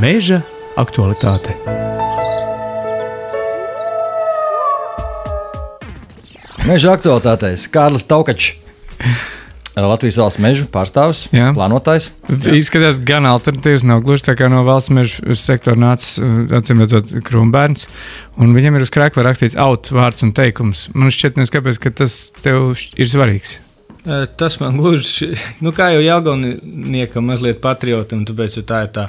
Meža aktualitāte. Meža aktualitātēs Kārlis Taukačs, Latvijas valsts mežu pārstāvis, plānotājs. Izskatās gan alternatīvas, nav gluži tā kā no valsts mežu sektora nācis, acīmredzot, Krumbērns, un viņam ir uz krēkla rakstīts vārds un teikums. Man šķiet, kāpēc, ka tas tev ir svarīgs. Tas man gluži, kā jau Jelgavniekam mazliet patriotam, tāpēc tā ir tā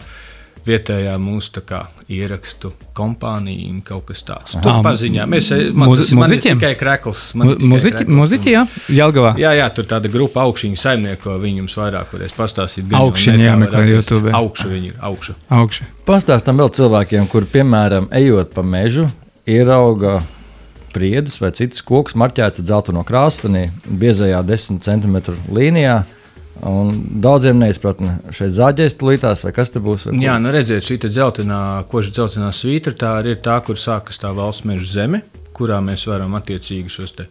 vietējā mūsu tā kā ierakstu kompānija, kaut kas tāds. Tur paziņā. Man ir tikai krekls. Muziķi, jā? Jelgavā? Jā, tur tāda grupa Augšiņa saimnieko, viņi jums vairāk varēs pastāstīt. Augšiņa, jāmeklē YouTube. Augša viņi ir, augša. Pastāstam vēl cilvēkiem, kur, piemēram, ejot pa mežu, ierauga priedus vai citus kokus marķēts ar dzelteno krāstunī, biezajā 10 cm līnijā. Un daudziem neizpratne šeit zāģēs tulītās, vai kas te būs? Jā, redziet, šī koža dzeltenā svītra, tā ir tā, kur sākas tā valsts meža zeme, kurā mēs varam attiecīgi šos te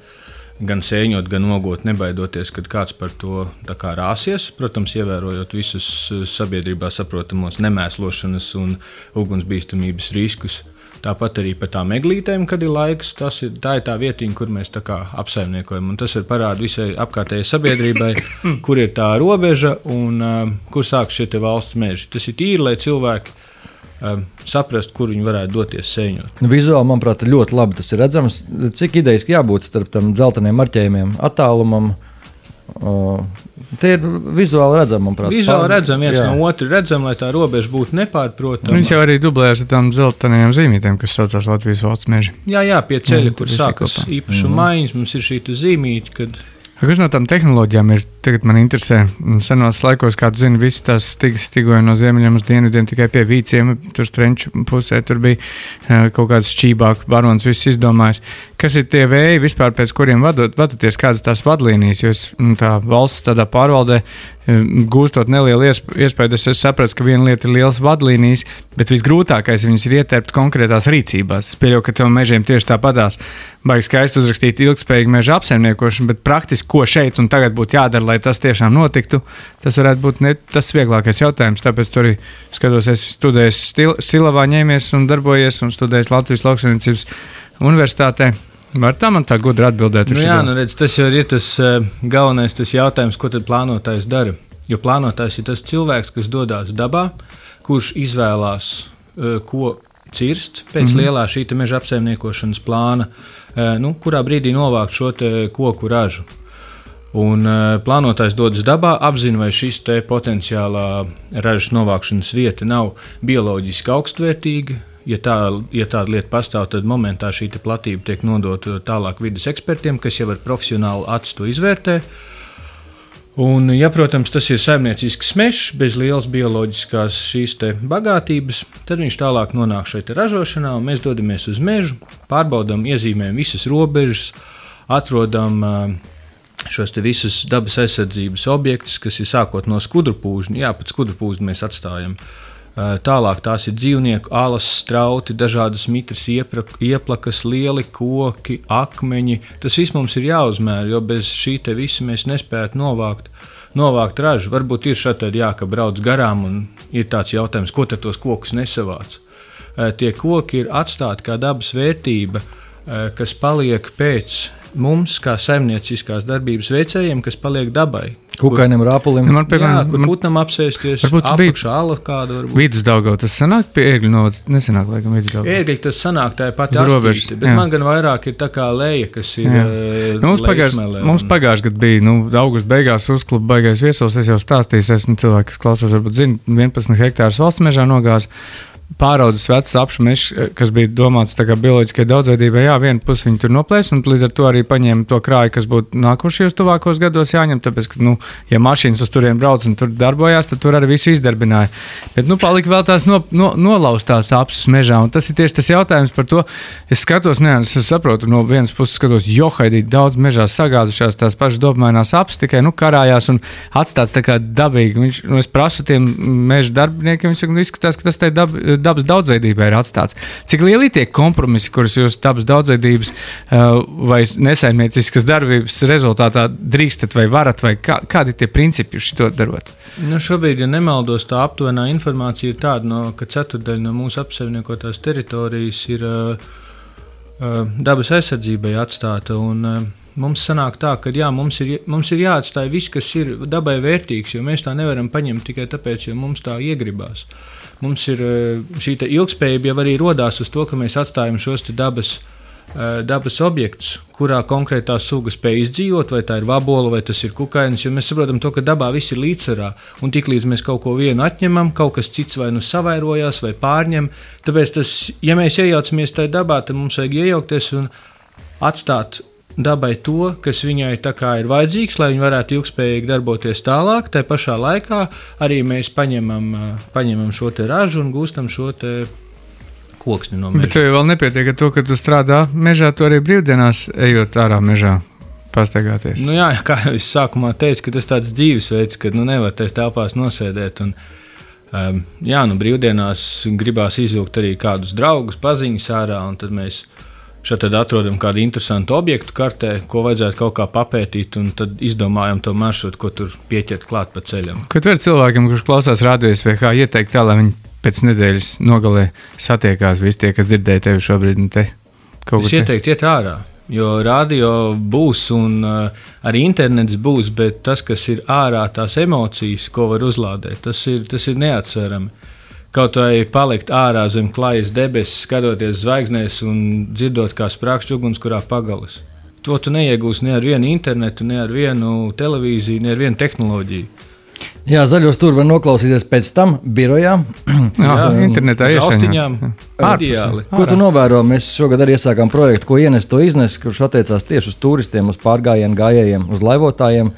gan sēņot, gan nogot, nebaidoties, kad kāds par to tā kā rāsies. Protams, ievērojot visus sabiedrībā saprotamos nemēslošanas un ugunsbīstamības riskus. Tāpat arī par tām eglītēm, kad ir laiks, tā ir tā vietiņa, kur mēs tā kā apsaimniekojam. Un tas ir parāda visai apkārtējai sabiedrībai, kur ir tā robeža un kur sākas šie valsts meži. Tas ir tīri, lai cilvēki saprast, kur viņi varētu doties sēņot. Vizuāli, manuprāt, ļoti labi tas ir redzams. Cik idejiski jābūt starp tam dzelteniem marķējumiem, attālumam? Tie ir vizuāli redzami, manuprāt. Vizuāli redzami, viens no otru redzam, lai tā robeža būtu nepārprotama. Viņš jau arī dublējas ar tām dzeltenajām zīmītēm, kas saucās Latvijas valsts meži. Jā, pie ceļa, kur sākas īpašuma maiņas, mums ir šī zīmīte, kad... Kas no tām tehnoloģijām ir? Tagad man interesē, senos laikos, kā tu zini, visas tās stigas stigoja no ziemeļiem uz dienvidiem tikai pie vīciem, tur Strenču pusē, tur bija kaut kāds šķībāk, barons viss izdomājis. Kas ir tie vēji vispār, pēc kuriem vadaties, kādas tās vadlīnijas, jo tā valsts tādā pārvaldē gūstot nelielu iespēju, es sapratu, ka viena lieta ir lielas vadlīnijas, bet visgrūtākais viņas ir ietērpt konkrētās rīcībās. Es pieļauju, ka tev mežiem tieši tāpatās baigi skaisti uzrakstīt ilgspējīgu meža apsaimniekošanu, bet praktiski, ko šeit un tagad būtu jādara, lai tas tiešām notiktu, tas varētu būt ne tas vieglākais jautājums. Tāpēc tur arī skatos, es studēju Silavā ņēmies un darbojies un studēju Latvijas Lauksaimniecības universitātē. Var tā man tā gudri atbildēt? Redz, tas jau ir tas galvenais tas jautājums, ko tad plānotājs dara. Jo plānotājs ir tas cilvēks, kas dodās dabā, kurš izvēlās, ko cirst pēc lielā šī meža apsaimniekošanas plāna, kurā brīdī novākt šo koku ražu. Un plānotājs dodas dabā, apzina, vai šis potenciālā ražas novākšanas vieta nav bioloģiski augstvērtīga. Ja tāda lieta pastāv, tad momentā šī platība tiek nodota tālāk vides ekspertiem, kas jau ar profesionālu acu to izvērtē. Un, ja, protams, tas ir saimniecisks mežs, bez lielas bioloģiskās šīs bagātības, tad viņš tālāk nonāk šeit ražošanā, un mēs dodamies uz mežu, pārbaudām, iezīmējam visas robežas, atrodam šos visus dabas aizsardzības objektus, kas ir sākot no skudrupūžņa. Jā, pat skudrupūžņu mēs atstājam. Tālāk tās ir dzīvnieku alas, strauti, dažādas mitras ieplakas, lieli koki, akmeņi. Tas viss mums ir jāuzmēra, jo bez šī visa mēs nespētu novākt ražu. Varbūt ir šādi, ka brauc garām un ir tāds jautājums, ko tad tos kokus nesavāc. Tie koki ir atstāti kā dabas vērtība, kas paliek pēc mums, kā saimnieciskās darbības veicējiem, kas paliek dabai. Kukainam rāpulim. Kur putnam apsēsties, apakšā ala kāda varbūt. Vidusdaugava tas sanāk pie Ērgļu novads? Nesanāk, laikam, Vidusdaugava. Ērgļi tas sanāk, tā ir pati astīte, bet man gan vairāk ir tā kā leja, kas ir lejasmelē. Mums pagājuši gadu bija, augusta beigās uzklupa baigais viesos, es jau stāstīju, esmu cilvēki, kas klausās, varbūt zina, 11 hektārus valsts mežā nogāz. Pāraudzes vecs apšu mežs, kas bija domāts tā kā bioloģiskai daudzveidībai, viena puse viņi tur noplēs, un līdz ar to arī paņēma to krāju, kas būtu nākošajos tuvākos gados jāņem, tāpēc, ka, ja mašīnas uz turien brauc un tur darbojās, tad tur arī visu izdarbināja. Bet, palika vēl tās nolaustās apsus mežā, un tas ir tieši tas jautājums par to. Es skatos, es saprotu, no vienas puses skatos, johaidīt daudz mežā sagādušās tās pašas dobmainās apsus, tikai, karājās un atstāts tā kā dabīgi. Es prasu tiem meža darbiniekiem, viņi izskatās, ka tas tai dabas daudzveidībai ir atstāts. Cik lieli tie kompromisi, kurus jūs dabas daudzveidības vai nesaimnieciskas darbības rezultātā drīkstat vai varat, vai kādi tie principi jūs šito darot? Šobrīd, ja nemaldos, tā aptuvenā informācija ir tāda, ka ceturdaļa no mūsu apsaimniekotās teritorijas ir dabas aizsardzībai atstāta. Mums sanāk tā, ka mums ir jāatstāj viss, kas ir dabai vērtīgs, jo mēs tā nevaram paņemt tikai tāpēc, jo mums tā iegribās. Mums ir šī ilgspējība jau arī rodās uz to, ka mēs atstājam šos dabas objektus, kurā konkrētā suga spēj izdzīvot, vai tā ir vabola, vai tas ir kukainis, jo mēs saprotam to, ka dabā viss ir līdzsvarā, un tiklīdz mēs kaut ko vienu atņemam, kaut kas cits vai nu savairojās, vai pārņem, tāpēc ja mēs iejaucamies tajā dabā, tad mums vajag iejaukties un atstāt dabai to, kas viņai tā kā ir vajadzīgs, lai viņi varētu ilgspējīgi darboties tālāk. Tā pašā laikā arī mēs paņemam šo te ražu un gūstam šo te koksni no meža. Bet tev vēl nepietiek ar to, ka tu strādā mežā, tu arī brīvdienās ejot ārā mežā pastaigāties. Jā, kā jau es sākumā teicu, ka tas tāds dzīvesveids, ka nevar tais telpās nosēdēt. Brīvdienās gribās izvilkt arī kādus draugus, paziņas ārā, un tad mēs šeit atrodam kādu interesantu objektu kartē, ko vajadzētu kaut kā papētīt, un tad izdomājam to maršrutu, ko tur pieķert klāt pa ceļam. Ko tu vari cilvēkiem, kurš klausās radio SVH, ieteikt tā, lai viņi pēc nedēļas nogalē satiekās visi tie, kas dzirdēja tevi šobrīd un te? Es ieteiktu iet ārā, jo radio būs un arī internets būs, bet tas, kas ir ārā, tās emocijas, ko var uzlādēt, tas ir neatsverami. Kaut vai palikt ārā zem klājas debesis, skatoties zvaigznēs un dzirdot, kā sprākst ugunskurā pagalis. To tu neiegūsi ne ar vienu internetu, ne ar vienu televīziju, ne ar vienu tehnoloģiju. Jā, zaļos tur var noklausīties pēc tam birojā. Jā, internetā iesaņām. Ideāli. Ko tu novēro? Mēs šogad arī iesākām projektu, ko ienest to iznes, kurš attiecās tieši uz turistiem, uz pārgājienu gājējiem, uz laivotājiem.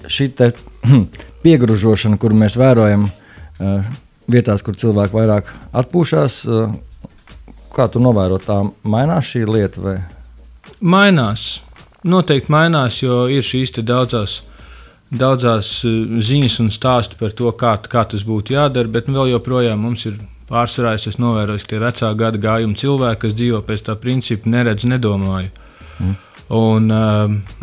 Šī te piegružošana, kuru mēs vērojam vietās, kur cilvēki vairāk atpūšās, kā tu novēro, tā mainās šī lieta? Vai? Mainās. Noteikti mainās, jo ir šīs te daudzās ziņas un stāsti par to, kā tas būtu jādara, bet vēl joprojām mums ir pārsvarā, es novēroju, ka tie vecā gada gājuma cilvēki, kas dzīvo pēc tā principa, neredz, nedomāju. Un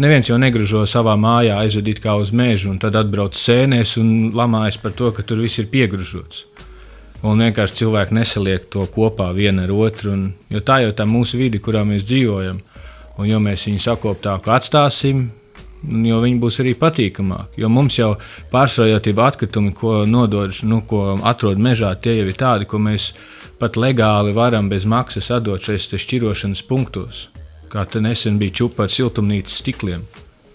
neviens jau negružo savā mājā aizvedīt kā uz mežu, un tad atbrauc sēnēs un lamājas par to, ka tur viss ir piegružots. Un vienkārši cilvēki nesaliek to kopā viena ar otru, jo tā jau tā mūsu vide, kurā mēs dzīvojam. Un jo mēs viņu sakoptāku atstāsim, jo viņi būs arī patīkamāki. Jo mums jau pārsvarā tie atkritumi, ko ko atrod mežā, tie jau ir tādi, ko mēs pat legāli varam bez maksas atdot šeit šķirošanas punktos. Kā te nesen bija čupa ar siltumnīcas stikliem.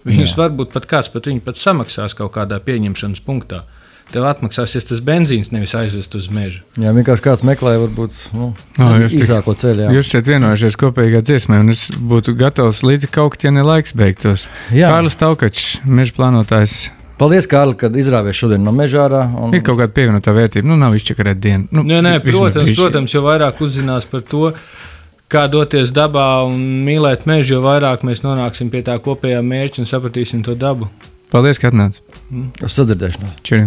Viņus varbūt pat kāds viņu pat samaksās kaut kādā pieņemšanas punktā. Tev atmaksāsies tas benzīns, nevis aizvest uz mežu. Jā, vienkārši kāds meklē varbūt īsāko ceļu. Jūs esat vienojušies kopīgā dziesmē, un es būtu gatavs līdzi kaukt, ja ne laiks beigtos. Kārlis Taukačs, meža plānotājs. Paldies, Kārli, kad izrāvies šodien no meža ārā. Ir kaut kāda pievienotā vērtība, nav izčakarēt dienu. Protams, jo vairāk uzzinās par to, kā doties dabā un mīlēt mežu, jo vairāk mēs nonāksim pie tā kopējā mērķa un sapratīsim to dabu. Paldies, ka atnāc. Uz sadzirdēšanos. Čau.